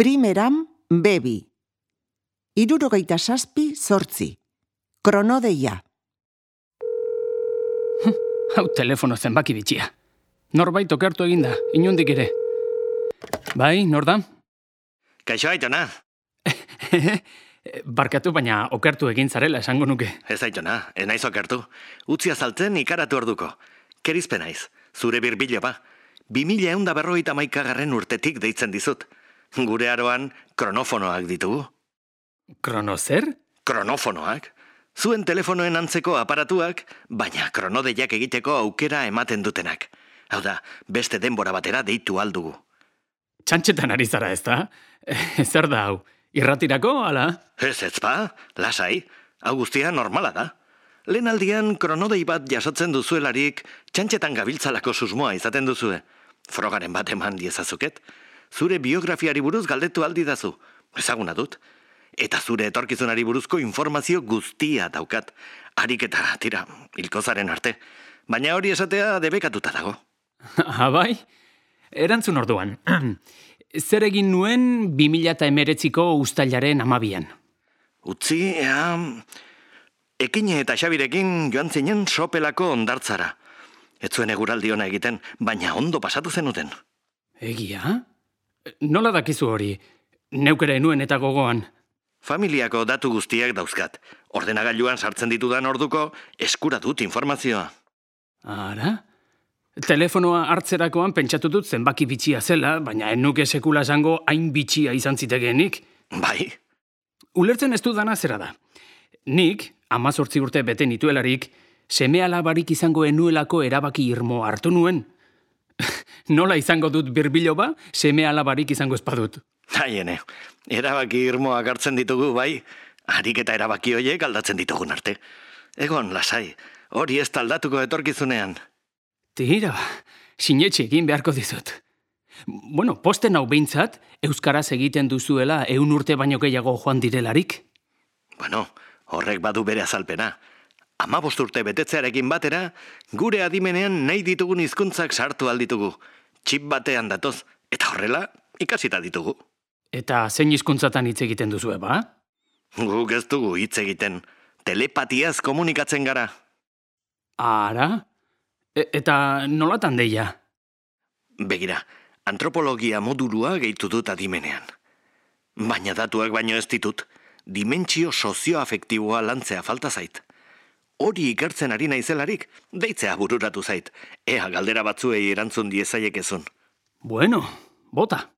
Primeram bebi. 67 kronodeia. Hau telefono zenbaki bitxia. Norbait okertu eginda, inondik ere. Bai, nor da? Kaixo Aitona. Barkatu, baina okertu egin zarela esango nuke. Ez Aitona, ez naiz okertu. Utzi azaltzen ikaratu orduko. Kerizpe naiz, zure birbilo ba. 2151 urtetik deitzen dizut. Gure aroan kronofonoak ditugu. Krono zer? Kronofonoak. Zuen telefonoen antzeko aparatuak, baina kronodeiak egiteko aukera ematen dutenak. Hau da, beste denbora batera deitu aldugu. Txantxetan ari zara ez da? Zer da hau? Irratirako, ala? Ez ba, lasai, hau guztia normala da. Lehen aldian kronodei bat jasotzen duzuelarik, txantxetan gabiltzalako susmoa izaten duzue. Frogaren bat eman diezazuket. Zure biografiari buruz galdetu aldi dazu. Ezaguna dut. Eta zure etorkizunari buruzko informazio guztia daukat. Harik eta, tira, hilkozaren arte. Baina hori esatea debekatuta dago. Bai? Erantzun orduan. Zer egin nuen 2019ko uztailaren 12an? Utzi, Ekine eta Xabirekin joan zinen sopelako ondartzara. Ez zuen eguraldi ona egiten, baina ondo pasatu zenuten. Egia? Nola dakizu hori? Neukere nuen eta gogoan. Familiako datu guztiak dauzkat. Ordenagailuan sartzen ditudan orduko eskura dut informazioa. Ara? Telefonoa hartzerakoan pentsatu dut zenbaki bitxia zela, baina enuke sekula esango hain bitxia izan zitekeenik. Bai? Ulertzen ez dudana zera da. Nik, 18 urte bete nituelarik, seme-alabarik izango enuelako erabaki irmo hartu nuen. Nola izango dut birbilo ba, seme-alabarik izango espadut. Haiene, erabaki irmoak hartzen ditugu, bai? Harik eta erabaki hoiek aldatzen ditugun arte. Egon, lasai, hori ez aldatuko etorkizunean. Tira, sinetxe egin beharko dizut. Bueno, posten hau behintzat, euskaraz egiten duzuela 100 urte baino gehiago joan direlarik. Bueno, horrek badu bere azalpena. 15 urte betetzearekin batera, gure adimenean nahi ditugun hizkuntzak sartu alditugu. Txip batean datoz, eta horrela ikasita ditugu. Eta zein hizkuntzatan hitz egiten duzue, ba? Guk ez dugu hitz egiten. Telepatiaz komunikatzen gara. Ara? Eta nolatan deia? Begira, antropologia modulua gehitu dut adimenean. Baina datuak baino ez ditut, dimentsio sozioafektiboa lantzea falta zait. Hori ikertzen ari naizelarik, deitzea bururatu zait. Ea galdera batzuei erantzun diezaiekezun. Bueno, bota.